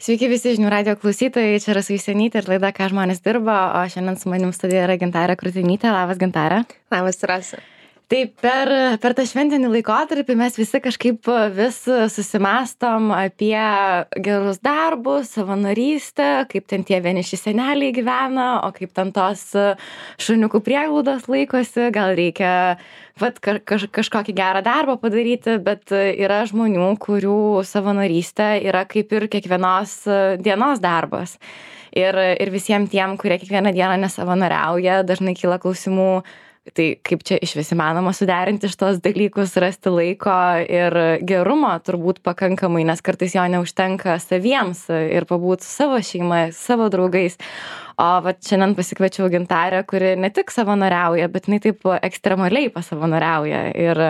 Sveiki visi žinių radio klausytojai, čia Rasa Jusionytė ir laida Ką žmonės dirba, o šiandien su manim studijoje yra Gintarė Krutinytė. Labas, Gintarė. Labas, Rasa. Tai per tą šventinį laikotarpį mes visi kažkaip vis susimąstom apie gerus darbus, savanorystę, kaip ten tie vieniši seneliai gyvena, o kaip ten tos šuniukų prieglaudos laikosi, gal reikia kažkokį gerą darbą padaryti, bet yra žmonių, kurių savanorystė yra kaip ir kiekvienos dienos darbas. Ir visiems tiem, kurie kiekvieną dieną nesavanoriauja, dažnai kyla klausimų, tai kaip čia išvis įmanoma suderinti šitos dalykus, rasti laiko ir gerumo turbūt pakankamai, nes kartais jo neužtenka saviems ir pabūt savo šeimą, savo draugais. O šiandien pasikviečiau Gintarę, kuri ne tik savanoriauja, bet jinai taip ekstremaliai pasavanoriauja. Ir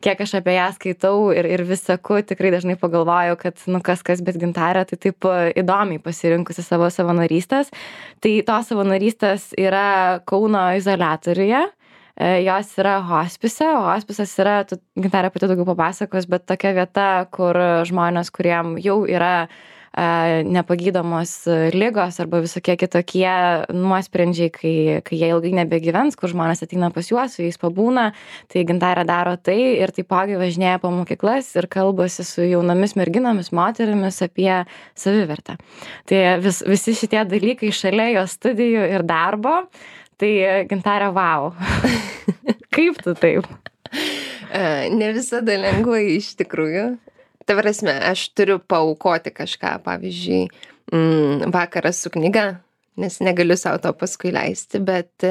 kiek aš apie ją skaitau ir vis seku, tikrai dažnai pagalvoju, kad kas, bet Gintarė tai taip įdomiai pasirinkusi savo savanorystės. Tai tos savanorystės yra Kauno izoliatoriuje. Jos yra hospise, o hospisas yra, Gintarė pati daugiau papasakos, bet tokia vieta, kur žmonės, kuriem jau yra nepagydomos ligos arba visokie kitokie nuosprendžiai, kai jie ilgai nebegyvens, kur žmonės ateina pas juos, su jais pabūna, tai Gintarė daro tai ir taipogi važinėja po mokyklas ir kalbasi su jaunomis merginomis, moterimis apie savivertę. Tai visi šitie dalykai šalia jos studijų ir darbo. Tai Gintarė, wow. Kaip tu taip? Ne visada lengvai iš tikrųjų. Ta prasme, aš turiu paaukoti kažką, pavyzdžiui, vakaras su knyga, nes negaliu savo to paskui leisti, bet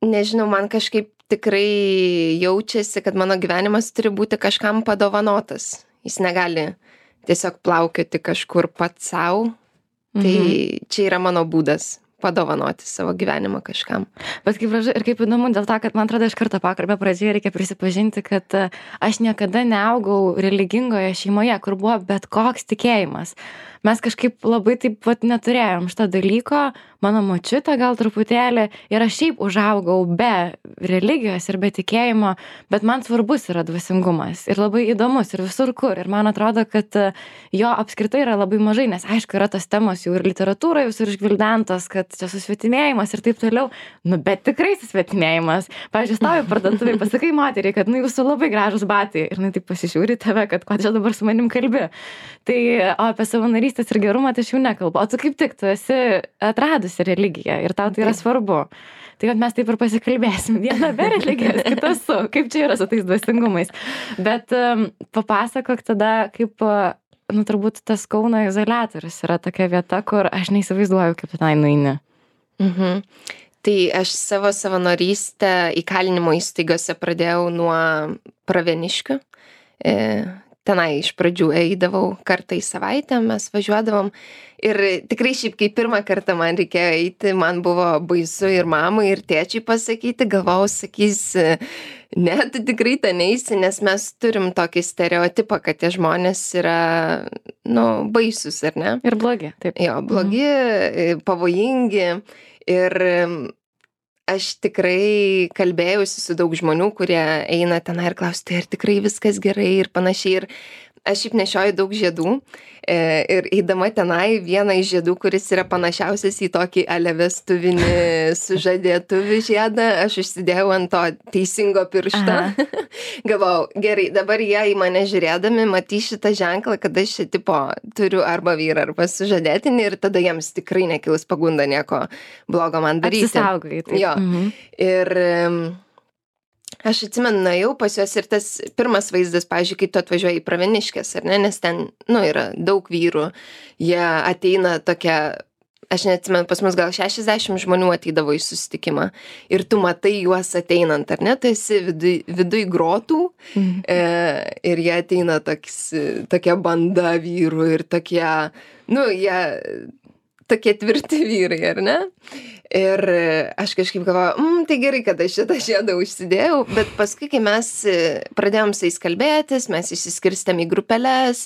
nežinau, man kažkaip tikrai jaučiasi, kad mano gyvenimas turi būti kažkam padovanotas. Jis negali tiesiog plaukioti kažkur pats savo. Tai čia yra mano būdas padovanoti savo gyvenimą kažkam. Bet kaip gražu ir kaip įdomu dėl to, kad man atrodo iš karto pokalbio pradžioje reikia prisipažinti, kad aš niekada neaugau religingoje šeimoje, kur buvo bet koks tikėjimas. Mes kažkaip labai taip neturėjom šito dalyko, mano močiutė gal truputėlį ir aš šiaip užaugau be religijos ir be tikėjimo, bet man svarbus yra dvasingumas ir labai įdomus ir visur kur. Ir man atrodo, kad jo apskritai yra labai mažai, nes aišku yra tos temos jau ir literatūroje visur išgvildentos, kad čia susvetimėjimas ir taip toliau, bet tikrai susvetimėjimas. Pavyzdžiui, stovi parduotuvėje, pasakai moteriai, kad jūsų labai gražus batai ir taip pasižiūri tave, kad ko čia dabar su manim kalbi. Tai apie savanorystės ir gerumą tai aš jau nekalbu. O tu kaip tik, tu esi atradusi religiją ir tau tai yra svarbu. Tai kad mes taip ir pasikalbėsim. Viena be religijos, kita su. Kaip čia yra su tais dvasingumais. Bet papasakok tada, kaip, turbūt tas Kauno izoliatorius yra tokia vieta, kur aš neįsivaizduoju, kaip tenai nueini. Tai aš savo savanorystę įkalinimo įstaigose pradėjau nuo Pravieniškių. Tenai iš pradžių eidavau kartą į savaitę, mes važiuodavom ir tikrai šiaip, kai pirmą kartą man reikėjo eiti, man buvo baisu ir mamai, ir tėčiai pasakyti, galvojau, sakys, ne, tu tikrai ten eisi, nes mes turim tokį stereotipą, kad tie žmonės yra, baisus, ar ne? Ir blogi, taip. Jo, blogi, pavojingi ir aš tikrai kalbėjausi su daug žmonių, kurie eina tenai ir klausia, tai ar tikrai viskas gerai ir panašiai. Ir aš šiaip nešioju daug žiedų ir eidama tenai vieną iš žiedų, kuris yra panašiausias į tokį vestuvinį sužadėtuvių žiedą, aš užsidėjau ant to teisingo piršto. Galvau, gerai, dabar jie į mane žiūrėdami matys šitą ženklą, kad aš turiu arba vyrą, arba sužadėtinį ir tada jiems tikrai nekils pagunda nieko blogo man daryti. Apsisaugai. Taip. Jo. Ir aš atsimenu, nuėjau pas juos ir tas pirmas vaizdas, pavyzdžiui, kai tu atvažiuoji į Pravieniškes, ar ne, nes ten, yra daug vyrų, jie ateina tokia, aš neatsimenu, pas mus gal 60 žmonių ateidavo į susitikimą ir tu matai juos ateinant, ar ne, tu esi viduj grotų ir jie ateina tokia banda vyrų ir tokie, jie tokie tvirti vyrai, ar ne? Ir aš kažkaip galvoju, tai gerai, kad aš šitą žiedą užsidėjau, bet paskui, kai mes pradėjom su jais kalbėtis, mes išsiskirstėm į grupeles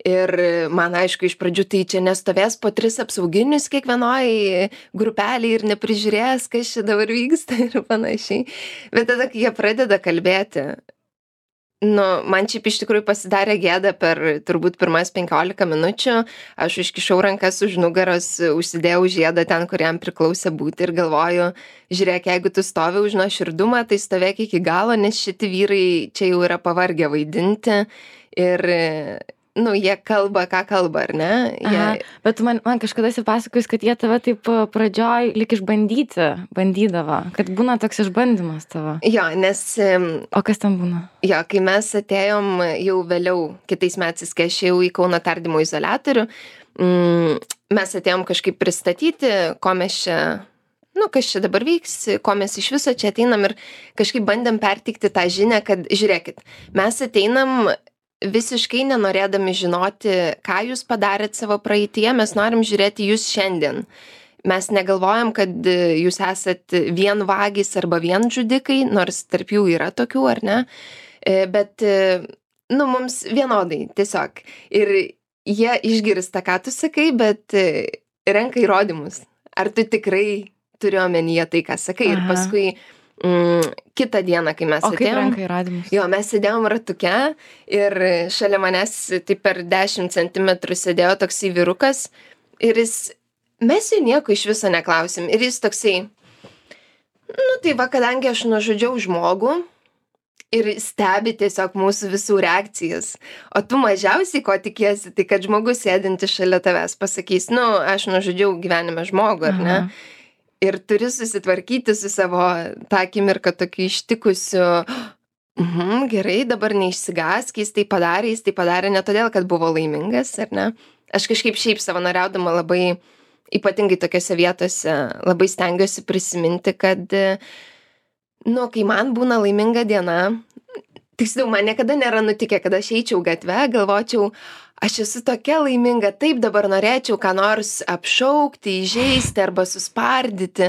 ir man aišku, iš pradžių tai čia nestovės po 3 apsauginius kiekvienoj grupelį ir neprižiūrės, kas čia dabar vyksta ir panašiai. Bet tada, kai jie pradeda kalbėti Man šiaip iš tikrųjų pasidarė gėda per turbūt pirmas 15 minučių. Aš užkišau rankas už nugaros, užsidėjau žiedą ten, kur jam priklausė būti ir galvoju, žiūrėk, jeigu tu stovi už nuoširdumą, tai stovėk iki galo, nes šitie vyrai čia jau yra pavargę vaidinti ir jie kalba, ką kalba, ar ne? Bet man kažkada esi pasakojus, kad jie tave taip pradžioj lyg bandydavo, kad būna toks išbandymas tavo. Jo, nes... O kas ten būna? Jo, kai mes atėjom jau vėliau, kitais metais, kai aš jau į Kauno tardymo izoliatorių, mes atėjom kažkaip pristatyti, ko mes čia... kas čia dabar vyks, ko mes iš viso čia ateinam ir kažkaip bandėm pertikti tą žinią, kad žiūrėkit, mes ateinam visiškai nenorėdami žinoti, ką jūs padarėt savo praeityje, mes norim žiūrėti jūs šiandien. Mes negalvojam, kad jūs esat vien vagys arba vien žudikai, nors tarp jų yra tokių, ar ne? Bet, mums vienodai, tiesiog. Ir jie išgirsta, ką tu sakai, bet renka įrodymus. Ar tu tikrai turi omenyje tai, ką sakai? Ir paskui kitą dieną, kai mes atėjom. O kaip renka įrodymus? Jo, mes sėdėjom ratuke ir šalia manęs taip per 10 centimetrų sėdėjo toksai vyrukas ir mes jų nieko iš viso neklausim. Ir jis toksai, tai va, kadangi aš nužudžiau žmogų ir stebi tiesiog mūsų visų reakcijas, o tu mažiausiai ko tikiesi, tai kad žmogus sėdintis šalia tavęs pasakys, aš nužudžiau gyvenime žmogų, ar ne? Ir turi susitvarkyti su savo tą akimirką tokiu ištikusiu, gerai, dabar neišsigąsk, jis tai padarė ne todėl, kad buvo laimingas, ar ne? Aš kažkaip šiaip savanoriaudama labai, ypatingai tokiose vietose, labai stengiuosi prisiminti, kad, kai man būna laiminga diena, tiksliau, man niekada nėra nutikę, kad aš eičiau gatve, galvočiau, aš esu tokia laiminga, taip dabar norėčiau ką nors apšaukti, įžeisti arba suspardyti.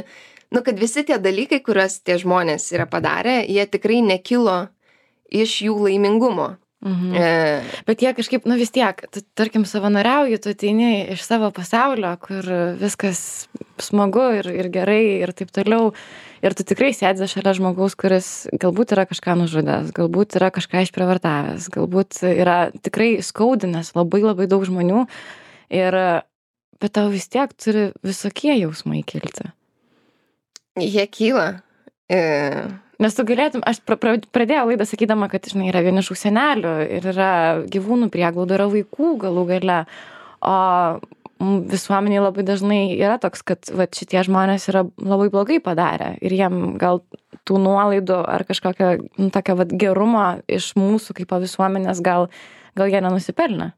Kad visi tie dalykai, kuriuos tie žmonės yra padarę, jie tikrai nekilo iš jų laimingumo. Bet jie kažkaip, vis tiek, tu, tarkim, savanoriauji, tu ateini iš savo pasaulio, kur viskas smagu ir gerai ir taip toliau. Ir tu tikrai sėdi šalia žmogaus, kuris galbūt yra kažką nužudęs, galbūt yra kažką išprievartavęs, galbūt yra tikrai skaudinęs labai labai daug žmonių. Bet tau vis tiek turi visokie jausmai kilti. Jie kyla. Nes tu galėtum, aš pradėjau laidą sakydama, kad, yra vienišų senelių ir yra gyvūnų prieglauda, yra vaikų galų gale. O visuomeniai labai dažnai yra toks, kad šitie žmonės yra labai blogai padarę ir jiem gal tų nuolaidų ar kažkokio tokio gerumo iš mūsų kaip visuomenės gal jie nenusipelnė.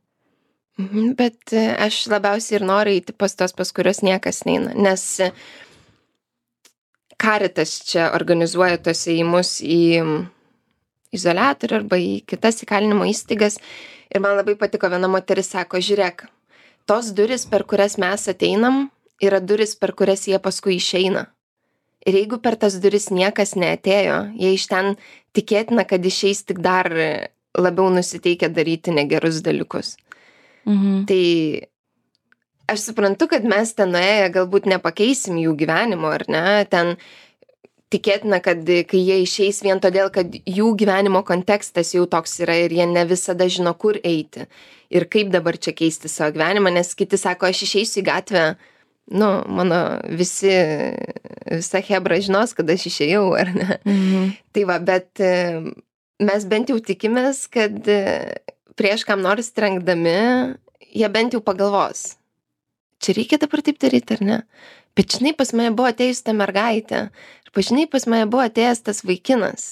Bet aš labiausiai ir noriu eiti pas tos, pas kurios niekas neina, nes Caritas čia organizuoja tos ėjimus į izoliatorių arba į kitas įkalinimo įstaigas ir man labai patiko, viena moteris sako, žiūrėk, tos duris, per kurias mes ateinam, yra duris, per kurias jie paskui išeina. Ir jeigu per tas duris niekas neatėjo, jie iš ten tikėtina, kad išeis tik dar labiau nusiteikę daryti negerus dalykus. Tai aš suprantu, kad mes ten nuėję galbūt nepakeisim jų gyvenimo, ar ne? Ten tikėtina, kad kai jie išeis vien todėl, kad jų gyvenimo kontekstas jau toks yra ir jie ne visada žino, kur eiti. Ir kaip dabar čia keisti savo gyvenimą, nes kiti sako, aš išeisiu į gatvę, mano visa hebra žinos, kad aš išėjau, ar ne? Tai va, bet mes bent jau tikimės, kad prieš kam nors trenkdami, jie bent jau pagalvos. Čia reikia dabar taip daryti, ar ne? Bet žinai, pas mane buvo atėjus ta mergaitė. Ir pažinai, pas mane buvo atėjęs tas vaikinas.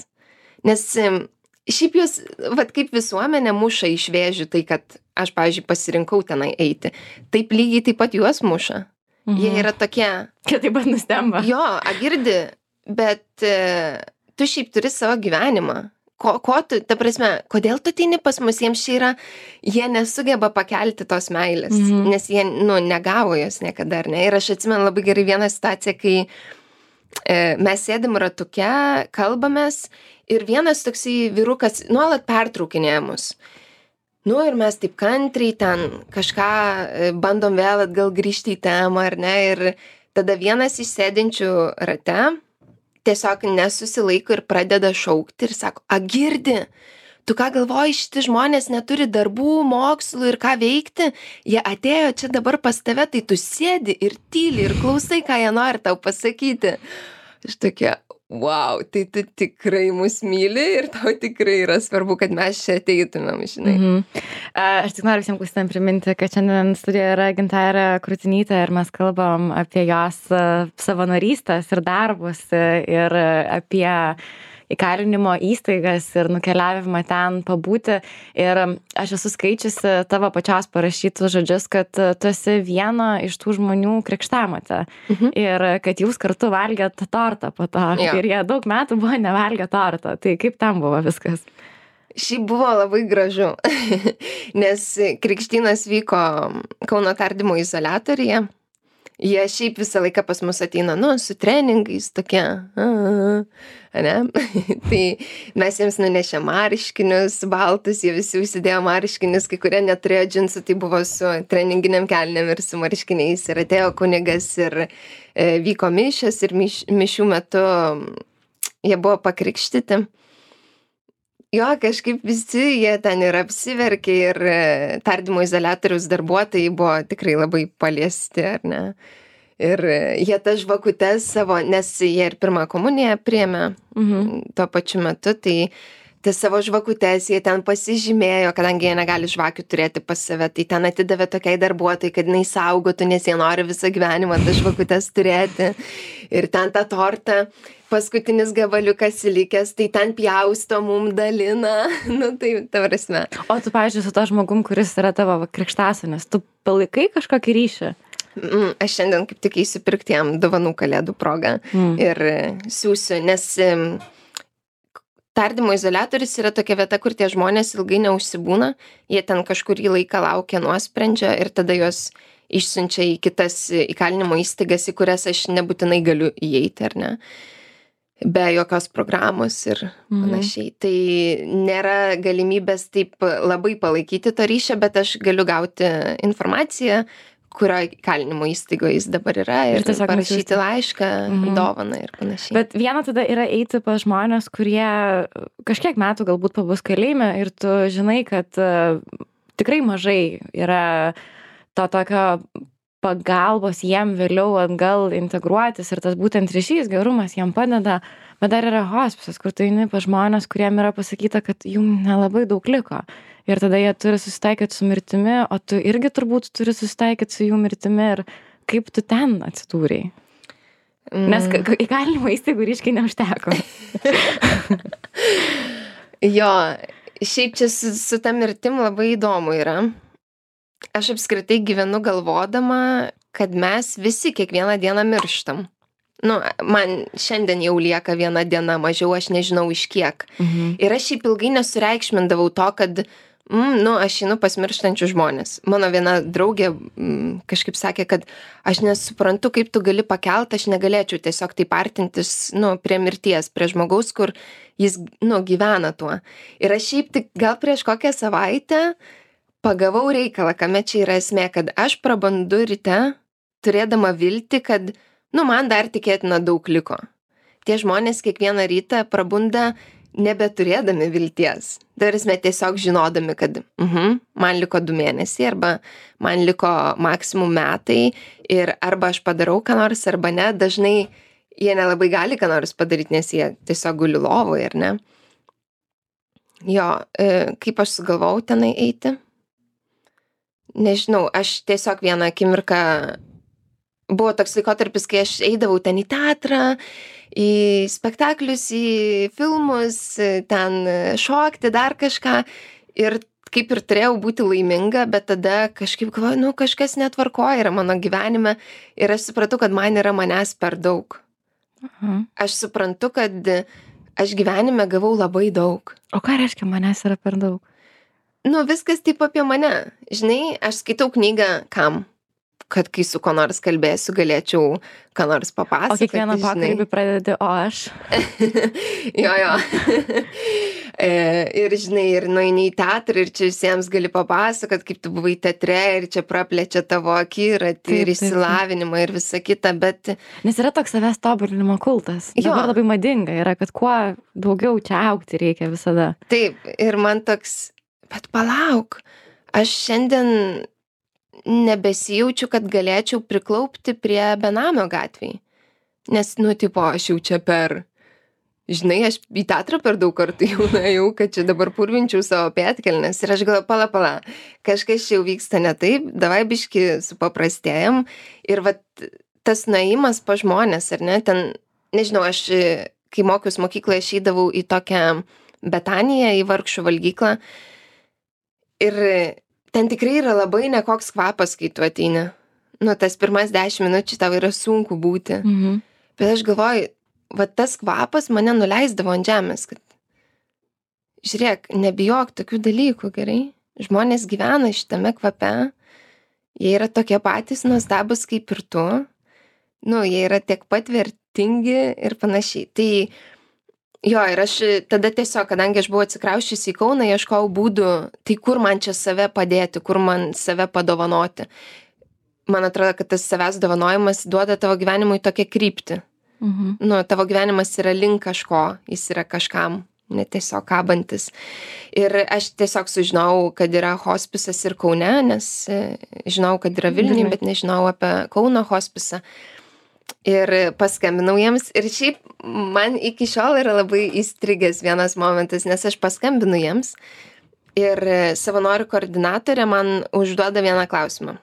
Nes šiaip jūs, kaip visuomenė muša iš vėžių, tai kad aš, pavyzdžiui, pasirinkau tenai eiti. Taip lygiai taip pat juos muša. Jie yra tokie... Kad taip pat nustemba. Jo, girdi, bet tu šiaip turi savo gyvenimą. Ko tu, ta prasme, kodėl tu ateini pas mus, jiems čia yra, jie nesugeba pakelti tos meilės, nes jie, negavo jos niekada, ar ne? Ir aš atsimenu labai gerai vieną situaciją, kai mes sėdim ratuke, kalbamės ir vienas toksai vyrukas nuolat pertraukinėja mus. Ir mes taip kantriai ten kažką bandom vėl atgal grįžti į temą, ar ne? Ir tada vienas iš sėdinčių rate tiesiog nesusilaiko ir pradeda šaukti ir sako, girdi, tu ką galvoji, šitie žmonės neturi darbų, mokslų ir ką veikti, jie atėjo čia dabar pas tave, tai tu sėdi ir tyli ir klausai, ką jie nori tau pasakyti. Aš tokia, wow, tai tu tikrai mus myli ir tau tikrai yra svarbu, kad mes čia ateitumėm, žinai. Aš tik noriu visiems klausytojams priminti, kad šiandien studijoje yra Gintarė Krutinytė ir mes kalbam apie jos savanorystės ir darbus ir apie įkalinimo įstaigas ir nukeliavimą ten pabūti. Ir aš esu skaičiusi tavo pačios parašytus žodžius, kad tu esi viena iš tų žmonių krikštamotė. Ir kad jūs kartu valgėt tortą po to. Ir jie daug metų buvo nevalgę tortą. Tai kaip ten buvo viskas? Šiaip buvo labai gražu, nes krikštynas vyko Kauno tardymo izoliatoriuje. Jie šiaip visą laiką pas mus ateina, su treningais tokie, ne? Tai mes jiems nunešė marškinius baltus, jie visi užsidėjo marškinius, kai kurie neturėjo džinsų, tai buvo su treninginiam kelnėm ir su marškiniais. Ir atėjo kunigas ir vyko mišios ir mišių metu jie buvo pakrikštyti. Jo, kažkaip visi jie ten ir apsiverkė ir tardymo izoliatoriaus darbuotojai buvo tikrai labai paliesti, ar ne? Ir jie tas žvakutes savo, nes jie ir pirmą komuniją priėmė tuo pačiu metu, tai tas savo žvakutes jie ten pasižymėjo, kadangi jie negali žvakių turėti pas save, tai ten atidavė tokiai darbuotojai, kad jinai saugotų, nes jie nori visą gyvenimą tas žvakutes turėti. Ir ten tą tortą, paskutinis gabaliukas įlikęs, tai ten pjausto mum dalina. Tai ta prasme. O tu, pavyzdžiui, su to žmogum, kuris yra tavo krikštasonis, tu palaikai kažkokį ryšį? Aš šiandien kaip tik eisiu pirkti jam dovanų kalėdų progą ir siūsiu, nes tardymo izoliatorius yra tokia vieta, kur tie žmonės ilgai neužsibūna, jie ten kažkurį laiką laukia nuosprendžio ir tada juos išsiunčia į kitas įkalinimo įstaigas, į kurias aš nebūtinai galiu įeiti, ar ne? Be jokios programos ir panašiai. Tai nėra galimybės taip labai palaikyti to ryšio, bet aš galiu gauti informaciją, kurio įkalinimo įstaigoje jis dabar yra ir parašyti laišką, dovaną ir panašiai. Bet viena tada yra eiti pas žmonės, kurie kažkiek metų galbūt pabus kalėjime ir tu žinai, kad tikrai mažai yra to tokio pagalbos jiem vėliau atgal integruotis ir tas būtent ryšys, gerumas jiem padeda, bet dar yra hospisas, kur tu eini pas žmonės, kuriem yra pasakyta, kad jum nelabai daug liko. Ir tada jie turi susitaikyti su mirtimi, o tu irgi turbūt turi susitaikyti su jų mirtimi ir kaip tu ten atsidūrei. Nes įkalinimo įstaigų ryškiai neužteko. Jo, šiaip čia su ta mirtim labai įdomu yra. Aš apskritai gyvenu galvodama, kad mes visi kiekvieną dieną mirštam. Man šiandien jau lieka viena diena mažiau, aš nežinau iš kiek. Ir aš šiaip ilgai nesureikšmindavau to, kad aš einu pas mirštančius žmonės. Mano viena draugė kažkaip sakė, kad aš nesuprantu, kaip tu gali pakelt, aš negalėčiau tiesiog taip artintis prie mirties, prie žmogaus, kur jis gyvena tuo. Ir aš šiaip tik gal prieš kokią savaitę pagavau reikalą, kame čia yra esmė, kad aš prabandu ryte, turėdama viltį, kad, man dar tikėtina daug liko. Tie žmonės kiekvieną rytą prabunda nebeturėdami vilties. Darysime tiesiog žinodami, kad man liko 2 mėnesiai, arba man liko maksimum metai, ir arba aš padarau ką nors, arba ne. Dažnai jie nelabai gali ką nors padaryti, nes jie tiesiog guli lovoje, ar ne? Jo, kaip aš sugalvojau tenai eiti? Nežinau, aš tiesiog vieną akimirką, buvo toks laikotarpis, kai aš eidavau ten į teatrą, į spektaklius, į filmus, ten šokti, dar kažką, ir kaip ir turėjau būti laiminga, bet tada kažkaip galvoju, kažkas netvarkoja yra mano gyvenime, ir aš supratau, kad man yra manęs per daug. Aš suprantu, kad aš gyvenime gavau labai daug. O ką reiškia manęs yra per daug? Viskas taip apie mane. Žinai, aš skaitau knygą kam? Kad kai su ko nors kalbėsiu, galėčiau ką nors papasakoti. O kiekvieną pokalbį pradedi, o aš? Jo. Ir, žinai, ir nueini į teatrą ir čia visiems gali papasakot, kaip tu buvai teatre ir čia praplečia tavo akiratį ir išsilavinimą ir visa kita, bet... Nes yra toks savęs tobulinimo kultas. Dabar labai madinga yra, kad kuo daugiau čia augti reikia visada. Taip, ir man toks, bet palauk, aš šiandien nebesijaučiu, kad galėčiau priklaupti prie benamio gatvėj. Nes, tipo, aš jau čia žinai, aš į teatrą per daug kartų jau nuėjau, kad čia dabar purvinčiau savo pėdkelnes. Ir aš galvoju, pala, kažkas čia jau vyksta ne taip, davai biški supaprastėjam. Ir vat tas nuėjimas pa žmonės, ar ne, ten, nežinau, aš, kai mokiaus mokykloje, aš eidavau į tokią Betaniją, į vargšų valgyklą. Ir ten tikrai yra labai nekoks kvapas, kai tu ateini. Tas pirmas 10 minučių tau yra sunku būti. Bet aš galvoju, va tas kvapas mane nuleisdavo ant žemės, kad žiūrėk, nebijok tokių dalykų, gerai? Žmonės gyvena šitame kvape, jie yra tokie patys nuostabus kaip ir tu, jie yra tiek pat vertingi ir panašiai. Tai jo, ir aš tada tiesiog, kadangi aš buvau atsikrausčiusi į Kauną, ieškojau būdų, tai kur man čia save padėti, kur man save padovanoti. Man atrodo, kad tas savęs dovanojimas duoda tavo gyvenimui tokią kryptį. Tavo gyvenimas yra link kažko, jis yra kažkam, ne tiesiog kabantis. Ir aš tiesiog sužinau, kad yra hospisas ir Kaune, nes žinau, kad yra Vilniuje, bet nežinau apie Kauno hospisą. Ir paskambinau jiems. Ir šiaip man iki šiol yra labai įstrigęs vienas momentas, nes aš paskambinu jiems ir savanorių koordinatorė man užduoda vieną klausimą.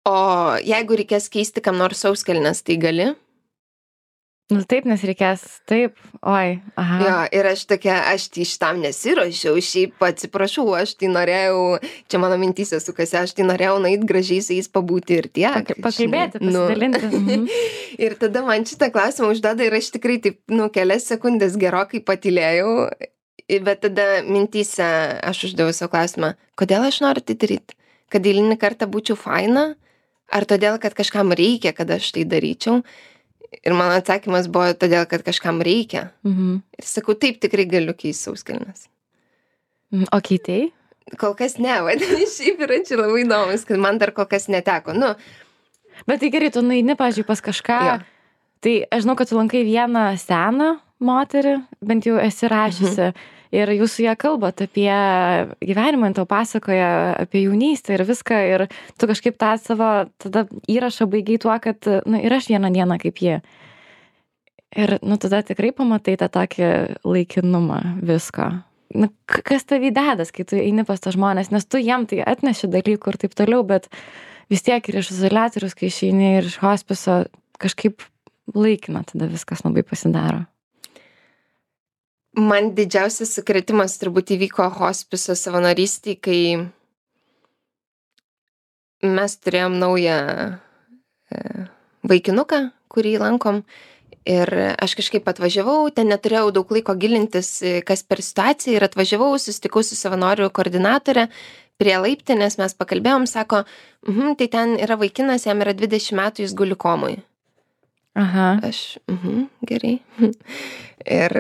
O jeigu reikės keisti kam nors sauskelnes, tai gali? Taip, nes reikės, taip, oi, aha. Jo, ir aš tai šitam nesiruošiau, šiaip atsiprašau, aš tai norėjau, čia mano mintyse sukasi, aš tai norėjau nueit gražiai su jais pabūti ir tiek. Pakalbėti, pasidalinti. Ir tada man šitą klausimą užduoda ir aš tikrai taip, kelias sekundės gerokai patylėjau, bet tada mintyse aš uždaviau savo klausimą, kodėl aš noriu tai daryti? Kad eilinį kartą būčiau faina? Ar todėl, kad kažkam reikia, kad aš tai daryčiau? Ir mano atsakymas buvo todėl, kad kažkam reikia. Ir sakau, taip, tikrai galiu keisti sauskelnes. O keitei? Kol kas ne, vadinasi, šiaip yra čia labai įdomus, kad man dar kol kas neteko. Bet tai gerai, tu nueini, pavyzdžiui, pas kažką. Jo. Tai aš žinau, kad tu lankai vieną seną moterį, bent jau esi rašiusi. Ir jūs su ją kalbat apie gyvenimą, tau pasakoja apie jaunystę ir viską. Ir tu kažkaip tą savo tada įrašą baigiai tuo, kad ir aš vieną dieną kaip jie. Ir tada tikrai pamatai tą tokį laikinumą visko. Kas tavį dedas, kai tu eini pas tą žmonės, nes tu jiem tai atneši dalykų ir taip toliau, bet vis tiek ir iš izoliatorius, kai išeini ir iš hospiso, kažkaip laikina tada viskas labai pasidaro. Man didžiausias sukrėtimas turbūt įvyko hospiso savanorystėj, kai mes turėjom naują vaikinuką, kurį lankom. Ir aš kažkaip atvažiavau, ten neturėjau daug laiko gilintis, kas per situaciją, ir atvažiavau, susitikau su savanorių koordinatorė prie laiptinės, mes pakalbėjom, sako, tai ten yra vaikinas, jam yra 20 metų, jis guli komui. Aha. Aš, gerai. Ir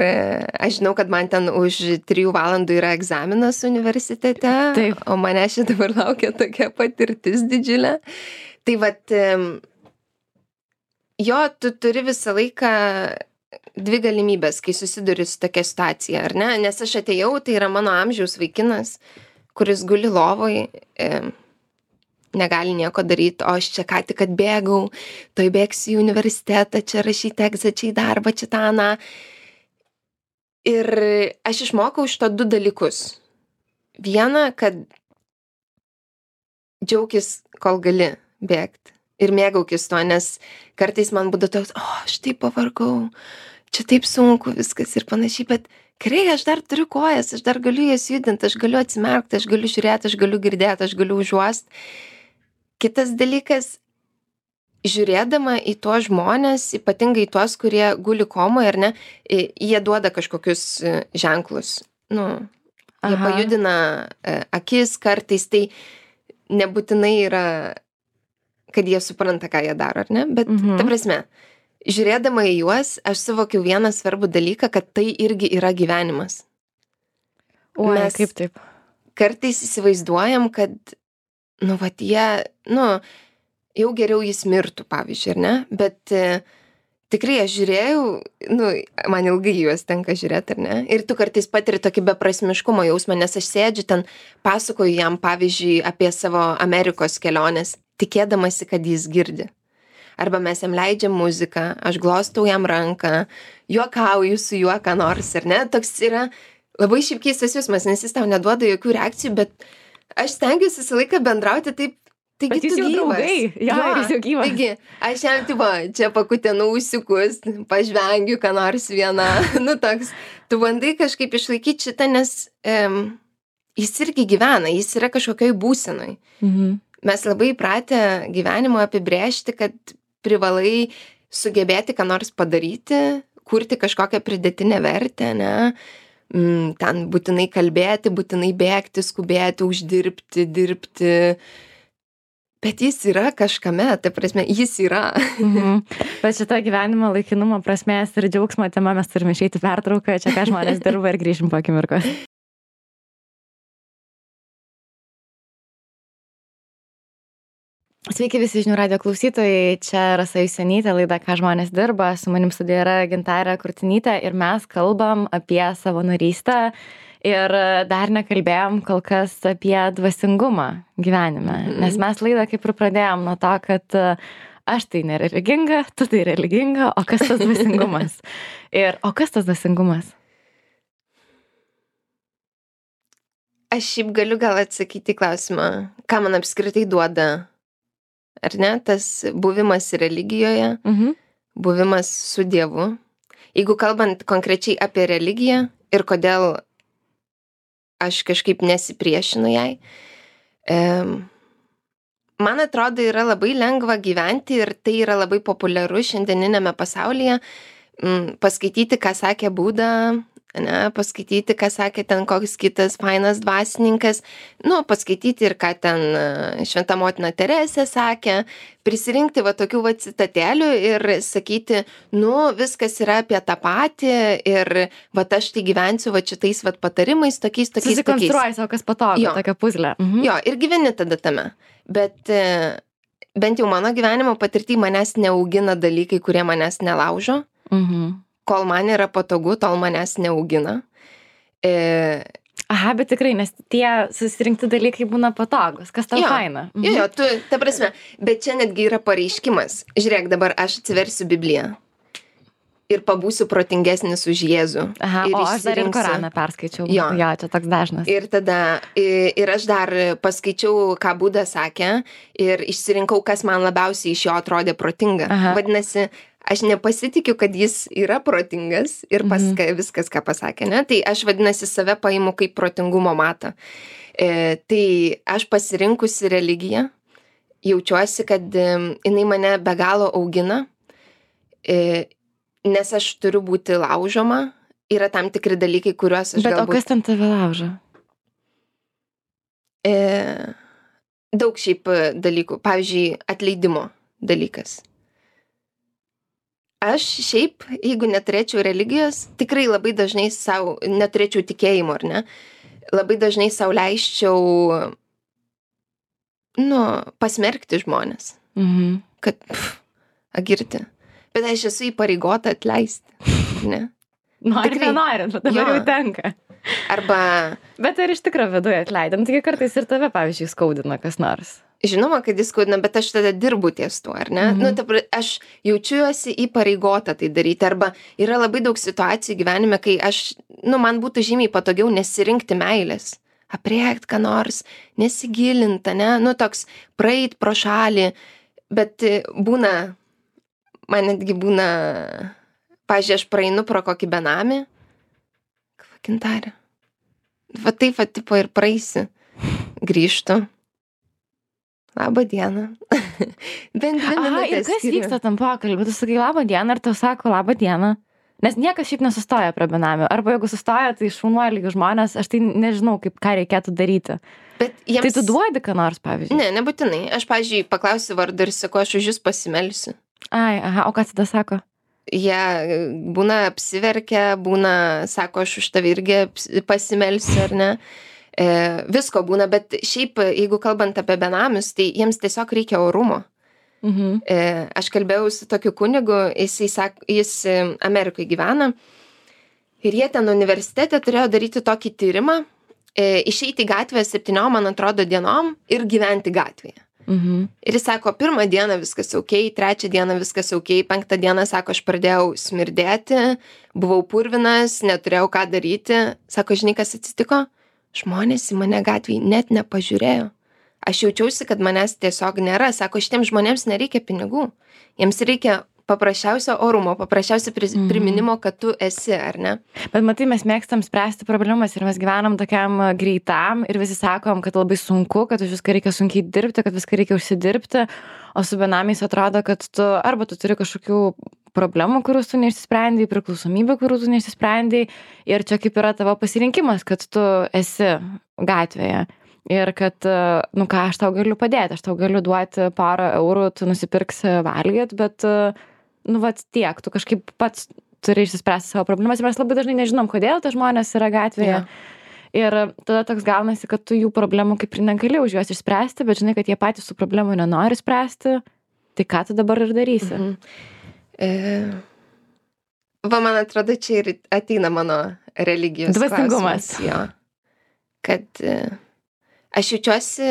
aš žinau, kad man ten už 3 valandų yra egzaminas universitete, taip. O mane šį dabar laukia tokia patirtis didžiulė. Tai vat, jo, tu turi visą laiką 2 galimybės, kai susiduri su tokia situacija, ar ne? Nes aš atėjau, tai yra mano amžiaus vaikinas, kuris guli lovoj, negali nieko daryti, o aš čia ką tik atbėgau, toj bėgsiu į universitetą, čia rašyti egzą, čia į darbą, čia tą. Ir aš išmokau šito 2 dalykus. Viena, kad džiaukis, kol gali bėgti. Ir mėgaukis to, nes kartais man būdavo toks, aš taip pavargau, čia taip sunku viskas ir panašiai, bet gerai, aš dar turiu kojas, aš dar galiu jas judinti, aš galiu atsimerkti, aš galiu žiūrėti, aš galiu girdėti, aš galiu užuosti. Kitas dalykas, žiūrėdama į tuos žmonės, ypatingai tuos, kurie guli komoje, ar ne, jie duoda kažkokius ženklus. Jie pajudina akis kartais, tai nebūtinai yra, kad jie supranta, ką jie daro, ar ne? Bet, ta prasme, žiūrėdama į juos, aš suvokiau vieną svarbų dalyką, kad tai irgi yra gyvenimas. Oi, Mes kaip taip? kartais įsivaizduojam, kad, jie, jau geriau jis mirtų, pavyzdžiui, ar ne? Bet tikrai aš žiūrėjau, man ilgai juos tenka žiūrėti, ar ne? Ir tu kartais patiri tokį beprasmiškumo jausmą, nes aš sėdžiu ten, pasakoju jam, pavyzdžiui, apie savo Amerikos keliones, tikėdamasi, kad jis girdi. Arba mes jam leidžiam muziką, aš glostau jam ranką, juokauju su juo ką nors, ar ne? Toks yra labai šiaip keistas jausmas, nes jis tau neduoda jokių reakcijų, bet aš stengiuosi visą laiką bendrauti taip, taigi Bet jūs tu jau gyvas. draugai, jo, ir jis jau gyvas. Taigi, aš jam, čia pakutenu ūsiukus, pažvengiu, ką nors vieną, toks, tu bandai kažkaip išlaikyti šitą, nes jis irgi gyvena, jis yra kažkokioj būsenoj. Mhm. Mes labai įpratę gyvenimo apibrėžti, kad privalai sugebėti ką nors padaryti, kurti kažkokią pridėtinę vertę, ne? Ten būtinai kalbėti, būtinai bėgti, skubėti, uždirbti, dirbti. Bet jis yra kažkame, ta prasme, jis yra. Bet šitą gyvenimo laikinumo prasmės ir džiaugsmo tema mes turime išeiti pertrauką, čia ką žmonės dirba ir grįžim po akimirkos. Sveiki visi žinių radijo klausytojai, čia Rasa Jusionytė, laida Ką žmonės dirba, su manim studijoje yra Gintarė Kurtinytė ir mes kalbam apie savanorystę ir dar nekalbėjom kol kas apie dvasingumą gyvenime, nes mes laidą kaip ir pradėjom nuo to, kad aš tai nereliginga, tu tai religinga, o kas tas dvasingumas? O kas tas dvasingumas? Aš šiaip galiu gal atsakyti klausimą, ką man apskritai duoda. Ar ne, tas buvimas religijoje, buvimas su Dievu. Jeigu kalbant konkrečiai apie religiją ir kodėl aš kažkaip nesipriešinu jai, man atrodo, yra labai lengva gyventi ir tai yra labai populiaru šiandieninėme pasaulyje, paskaityti, ką sakė Buda, ne, paskaityti, ką sakė ten koks kitas fainas dvasininkas, paskaityti ir ką ten Šventa motina Teresė sakė, prisirinkti tokių citatėlių ir sakyti, viskas yra apie tą patį ir aš tai gyvensiu šitais patarimais, tokiais. Susikonstruoji savo, kas patogu, tokia puzlė. Jo, ir gyveni tada tame. Bet bent jau mano gyvenimo patirtį manęs neaugina dalykai, kurie manęs nelaužo. Kol man yra patogu, tol manęs neaugina. Aha, bet tikrai, nes tie susirinkti dalykai būna patogus. Kas tau faina? Jo, tu, ta prasme, bet čia netgi yra pareiškimas. Žiūrėk, dabar aš atsiversiu Bibliją ir pabūsiu protingesnis už Jėzų. Aha, o aš dar ir Koraną perskaičiau. Jo, čia toks dažnas. Ir tada, ir aš dar paskaičiau, ką Buda sakė ir išsirinkau, kas man labiausiai iš jo atrodė protinga. Aha. Vadinasi, aš nepasitikiu, kad jis yra protingas ir viskas, ką pasakė, ne? Tai aš vadinasi save paimu kaip protingumo matą. Tai aš pasirinkusi religiją, jaučiuosi, kad jinai mane be galo augina, nes aš turiu būti laužoma, yra tam tikri dalykai, kuriuos aš galbūt... Bet o kas ten tave laužo? Daug šiaip dalykų, pavyzdžiui, atleidimo dalykas. Aš šiaip, jeigu neturėčiau religijos, tikrai labai dažnai savo, neturėčiau tikėjimo, ar ne, labai dažnai savo leisčiau, pasmerkti žmonės, kad, agirti. Bet aš esu įpareigota atleisti, ne? Nori, nenori, bet dabar jau tenka. Arba... Bet ir iš tikro viduje atleidam, taigi kartais ir tave, pavyzdžiui, skaudina kas nors. Žinoma, kad jis skaudina, bet aš tada dirbu ties tuo, ar ne? Aš jaučiuosi įpareigota tai daryti, arba yra labai daug situacijų gyvenime, kai aš, man būtų žymiai patogiau nesirinkti meilės, apriekt ką nors, nesigilinta, ne? Toks praeit pro šalį, bet būna, man netgi būna, pavyzdžiui, aš praeinu pro kokį benamį, Gintarė, taip, tipo ir praeisi, grįžtu. Labą dieną. Bent 2 minutės. Aha, ir kas vyksta tam pokalbį? Tu sakai labą dieną ir tau sako labą dieną. Nes niekas šiaip nesustoja prie benamių. Arba jeigu sustoja, tai šaunuoliai žmonės, aš tai nežinau, ką reikėtų daryti. Bet jiems... Tai tu duodi ką nors, pavyzdžiui? Ne, nebūtinai. Aš, pavyzdžiui, paklausiu vardą ir sakau, aš už jūs pasimelsiu. Ai, aha, o ką tada sako? jie būna apsiverkia, būna, sako, aš už tave irgi pasimelsiu, ar ne. Visko būna, bet šiaip, jeigu kalbant apie benamius, tai jiems tiesiog reikia orumo. Aš kalbėjau su tokiu kunigu, jis Amerikoje gyvena ir jie ten universitete turėjo daryti tokį tyrimą, išeiti į gatvę 7, man atrodo, dienom ir gyventi gatvėje. Ir jis sako, 1 dieną viskas ok, 3 dieną viskas ok, 5 dieną, sako, aš pradėjau smirdėti, buvau purvinas, neturėjau ką daryti. Sako, žinai, kas atsitiko? Žmonės į mane gatvėje net nepažiūrėjo. Aš jaučiausi, kad manęs tiesiog nėra. Sako, šitiems žmonėms nereikia pinigų. Jiems reikia paprasčiausio orumo, paprasčiausio priminimo, kad tu esi, ar ne? Bet matai, mes mėgstam spręsti problemas ir mes gyvenam tokiam greitam ir visi sakom, kad labai sunku, kad už viską reikia sunkiai dirbti, kad viską reikia užsidirbti, o su benamiais atrodo, kad arba tu turi kažkokių problemų, kurių tu neišsisprendai, priklausomybę, kurių tu neišsisprendai ir čia kaip yra tavo pasirinkimas, kad tu esi gatvėje. Ir kad, ką, aš tau galiu padėti, aš tau galiu duoti 1 eurų, tu nusipirksi valgyt, bet, tiek, tu kažkaip pats turi išsispręsti savo problemas ir mes labai dažnai nežinom, kodėl tie žmonės yra gatvėje. Ir tada toks gaunasi, kad tu jų problemų kaip ir negali už juos išspręsti, bet žinai, kad jie patys su problemų nenori spręsti, tai ką tu dabar ir darysi? Man atrodo, čia ir ateina mano religijos dvasingumas. Jo, kad aš jaučiuosi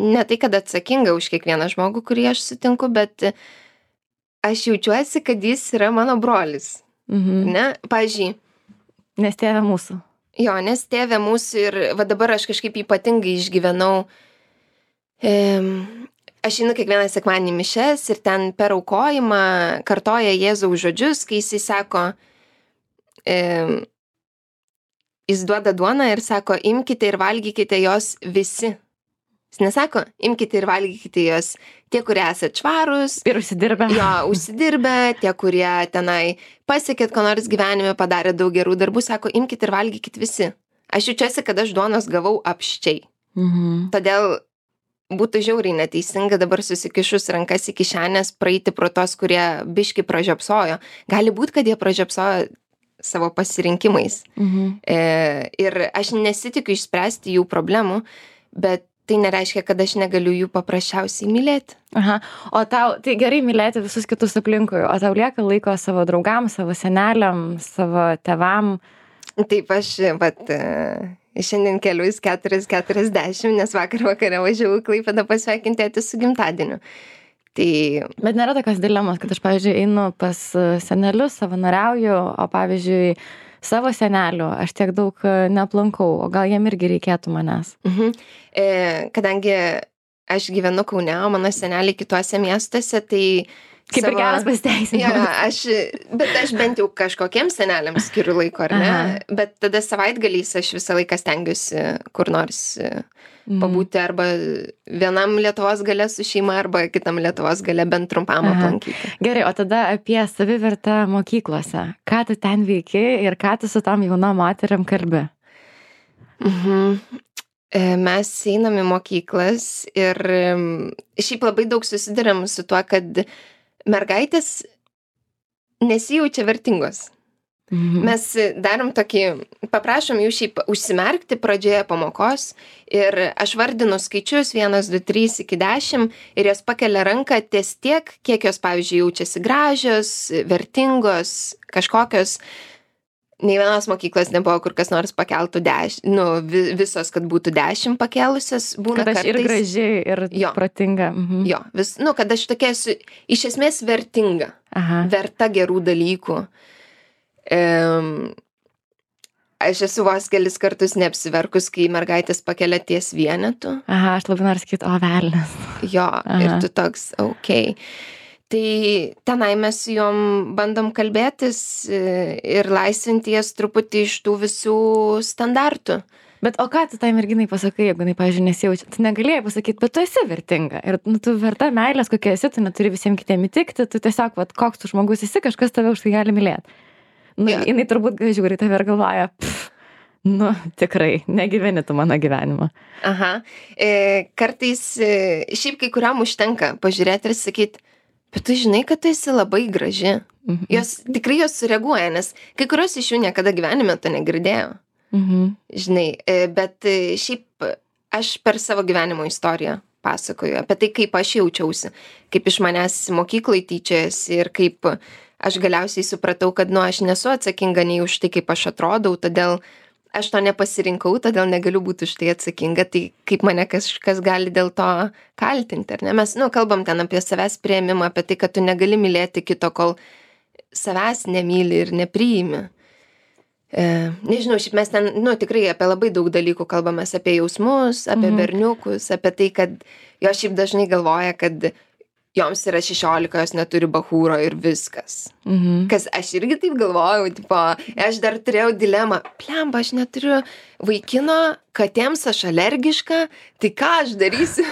ne tai, kad atsakinga už kiekvieną žmogų, kurį aš sutinku, bet aš jaučiuosi, kad jis yra mano brolis. Ne? Pavyzdžiui. Nes tėvė mūsų. Jo, nes tėvė mūsų ir dabar aš kažkaip ypatingai išgyvenau. Aš einu kiekvieną sekmadienį mišias ir ten per aukojimą kartoja Jėzaus žodžius, kai jisai sako, jis duoda duoną ir sako, imkite ir valgykite jos visi. Jis nesako, imkite ir valgykite jos tie, kurie esate švarūs. Ir užsidirbę. Jo, užsidirbę, tie, kurie tenai pasiekėt, ko nors gyvenime, padarė daug gerų darbų, sako, imkite ir valgykite visi. Aš jaučiuosi, kad aš duonos gavau apščiai. Todėl būtų žiauriai neteisinga dabar susikišus rankas į kišenės praeiti pro tos, kurie biški pražiopsojo. Gali būti, kad jie pražiopsojo savo pasirinkimais. Ir aš nesitikiu išspręsti jų problemų, bet tai nereiškia, kad aš negaliu jų paprasčiausiai mylėti. O tau, tai gerai mylėti visus kitus aplinkui, o tau lieka laiko savo draugams, savo seneliam, savo tėvam? Taip, aš, šiandien kelius 4:40, nes vakar vakare važiavau į Klaipėdą pasveikinti tėtį su gimtadieniu. Tai... Bet nėra tokios dilemos, kad aš, pavyzdžiui, einu pas senelius, savanoriauju, o, pavyzdžiui, savo senelių aš tiek daug neaplankau, o gal jiem irgi reikėtų manęs? Kadangi aš gyvenu Kaune, o mano seneliai kituose miestuose, tai... Kaip ir geras pasiteisinimas. Bet aš bent jau kažkokiems seneliams skiriu laiko, ar ne? Bet tada savaitgaliais aš visą laiką stengiuosi kur nors pabūti arba vienam Lietuvos gale su šeima, arba kitam Lietuvos gale bent trumpam aplankyti. Gerai, o tada apie savivertę mokyklose. Ką tu ten veiki ir ką tu su tam jaunom moteriam kalbi? Mes einam į mokyklas ir šiaip labai daug susiduriam su tuo, kad mergaitės nesijaučia vertingos. Mes darom tokį, paprašom jų šiaip užsimerkti pradžioje pamokos ir aš vardinu skaičius 1, 2, 3 iki 10 ir jos pakelia ranką ties tiek, kiek jos, pavyzdžiui, jaučiasi gražios, vertingos, kažkokios. Nei vienos mokyklos nebuvo, kur kas nors pakeltų 10, visos, kad būtų 10 pakėlusios, būna kad aš kartais... ir graži, ir protinga. Jo, kad aš tokia esu iš esmės vertinga, verta gerų dalykų. Aš esu vos kelis kartus neapsiverkus, kai mergaitės pakelia ties vienetu. Aš labai noriu sakyti, o velnias. Jo, ir tu toks, okei. Tai tenai mes su jom bandom kalbėtis ir laisvinti jas truputį iš tų visų standartų. Bet o ką tu tai merginai pasakai, jeigu jinai, pavyzdžiui, nesijaučia? Tu negalėjai pasakyti, bet tu esi vertinga. Ir tu verta meilės, kokia esi, tu neturi visiems kitiem įtikti, tu tiesiog, koks tu žmogus esi, kažkas tave už tai gali mylėti. Jinai turbūt žiūri tave ir galvoja, tikrai, negyveni tu mano gyvenimą. Kartais šiaip kai kuriam užtenka pažiūrėti ir sakyti, bet tu žinai, kad tu esi labai graži. Mhm. Jos sureaguoja, nes kai kurios iš jų niekada gyvenime to negirdėjo. Mhm. Žinai, bet šiaip aš per savo gyvenimo istoriją pasakoju apie tai, kaip aš jaučiausi, kaip iš manęs mokyklai tyčiojasi ir kaip aš galiausiai supratau, kad, aš nesu atsakinga nei už tai, kaip aš atrodau, todėl aš to nepasirinkau, todėl negaliu būti už tai atsakinga, tai kaip mane kažkas gali dėl to kaltinti, ar ne? Mes, kalbam ten apie savęs priėmimą, apie tai, kad tu negali mylėti kito, kol savęs nemyli ir nepriimi. Nežinau, šiaip mes ten, tikrai apie labai daug dalykų kalbamės, apie jausmus, apie berniukus, apie tai, kad jos šiaip dažnai galvoja, kad joms yra 16, jos neturi bachūro ir viskas. Kas aš irgi taip galvojau, aš dar turėjau dilemą, plemba, aš neturiu vaikino, katėms aš alergiška, tai ką aš darysiu?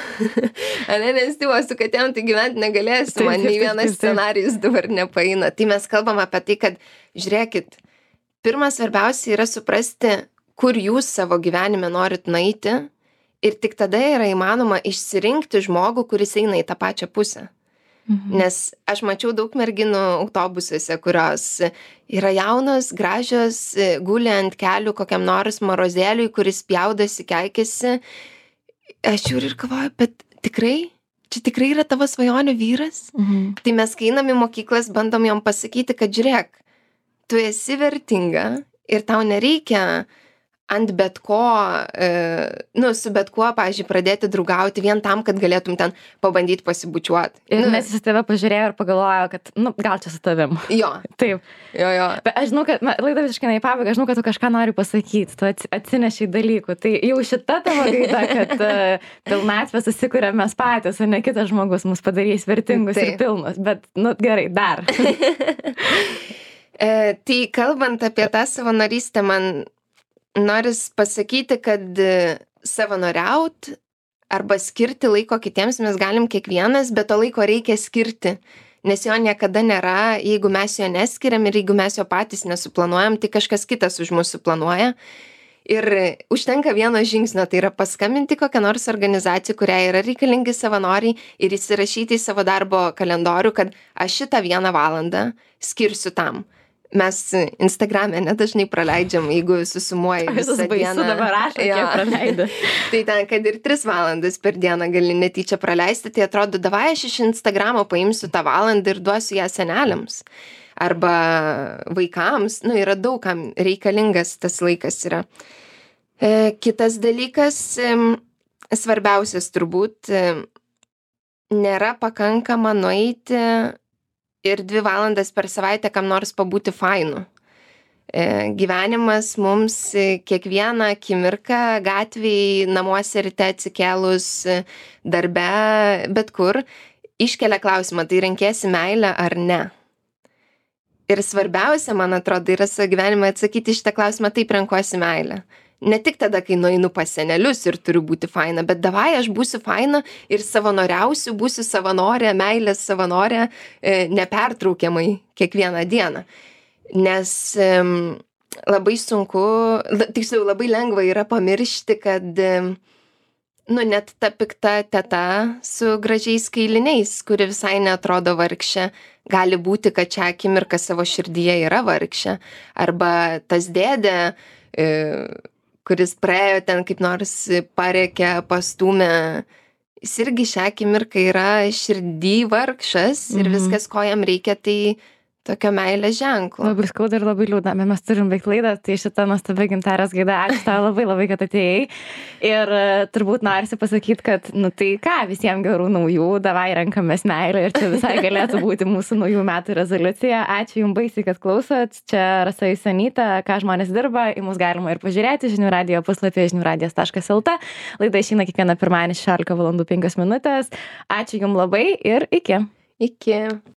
Nes su katėm tai gyventi negalėsiu, man nei vienas scenarijus dabar nepaeina. Tai mes kalbam apie tai, kad žiūrėkit, pirmas svarbiausia yra suprasti, kur jūs savo gyvenime norit nueiti ir tik tada yra įmanoma išsirinkti žmogų, kuris eina į tą pačią pusę. Nes aš mačiau daug merginų autobusuose, kurios yra jaunos, gražios, guli ant kelių kokiam nors marozėliui, kuris pjaudosi, keikiasi. Aš žiūriu ir galvoju, bet čia tikrai yra tavo svajonių vyras? Tai mes, kai einam į mokyklas, bandom jom pasakyti, kad žiūrėk, tu esi vertinga ir tau nereikia ant bet ko, su bet kuo, pavyzdžiui, pradėti draugauti vien tam, kad galėtum ten pabandyti pasibučiuoti. Ir nes jis tave pažiūrėjo ir pagalvojo, kad, gal čia su tavim. Jo. Taip. Jo. Bet aš žinau, kad, laida visiškai ne į pabaigą, aš žinau, kad tu kažką nori pasakyti, tu atsinešiai dalykų. Tai jau šita tavo gaida, kad pilnatvę susikuriam mes patys, o ne kitas žmogus mus padarys vertingus ir pilnus. Bet, gerai, dar. Tai kalbant apie tą savanorystę, man noris pasakyti, kad savanoriaut arba skirti laiko kitiems mes galim kiekvienas, bet to laiko reikia skirti, nes jo niekada nėra, jeigu mes jo neskiriam ir jeigu mes jo patys nesuplanuojam, tai kažkas kitas už mus suplanuoja. Ir užtenka vieno žingsnio, tai yra paskambinti kokią nors organizaciją, kuriai yra reikalingi savanoriai ir įsirašyti į savo darbo kalendorių, kad aš šitą 1 valandą skirsiu tam. Mes Instagrame nedažnai praleidžiam, jeigu susumuoji visą dieną. Baisu dabar rašo, kiek praleidai. Tai ten, kad ir 3 valandas per dieną gali netyčia praleisti, tai atrodo, davai aš iš Instagramo paimsiu tą valandą ir duosiu ją seneliams. Arba vaikams, yra daug kam reikalingas tas laikas yra. Kitas dalykas, svarbiausias turbūt, nėra pakankama nueiti ir 2 valandas per savaitę kam nors pabūti fainu. Gyvenimas mums kiekvieną akimirką gatvėj, namuose ryte atsikėlus, darbe, bet kur, iškelia klausimą, tai renkiesi meilę ar ne. Ir svarbiausia, man atrodo, yra savo gyvenime atsakyti šitą klausimą, taip renkuosi meilę. Ne tik tada, kai nueinu pas senelius ir turiu būti faina, bet davai aš būsiu faina ir savanoriausiu, būsiu savanorė, meilės savanorė nepertraukiamai kiekvieną dieną. Nes labai sunku, tiksliau labai lengva yra pamiršti, kad net ta pikta teta su gražiais kailiniais, kuri visai neatrodo vargšė, gali būti, kad čia akimirka savo širdyje yra vargšė. Arba tas dėdė, kuris praėjo ten kaip nors parėkė, pastūmė, jis irgi šią akimirką yra širdį vargšas ir viskas, ko jam reikia, tai tokio meilės ženklo. Labai skauda ir labai liūdna, bet mes turim baigti laidą, tai šitą nuostabią Gintarės gaida, ačiū tau labai, kad atėjai. Ir turbūt norisi pasakyti, kad, tai ką, visiems gerų naujų, davai renkamės meilę ir čia visai galėtų būti mūsų naujų metų rezoliucija. Ačiū jums baisiai, kad klausot. Čia Rasa Jusionytė, ką žmonės dirba, į mus galima ir pažiūrėti žinių radijo puslapyje žiniųradijas.lt. Laida išeina kiekvieną pirmadienį 16:05. Ačiū jums labai ir iki. Iki.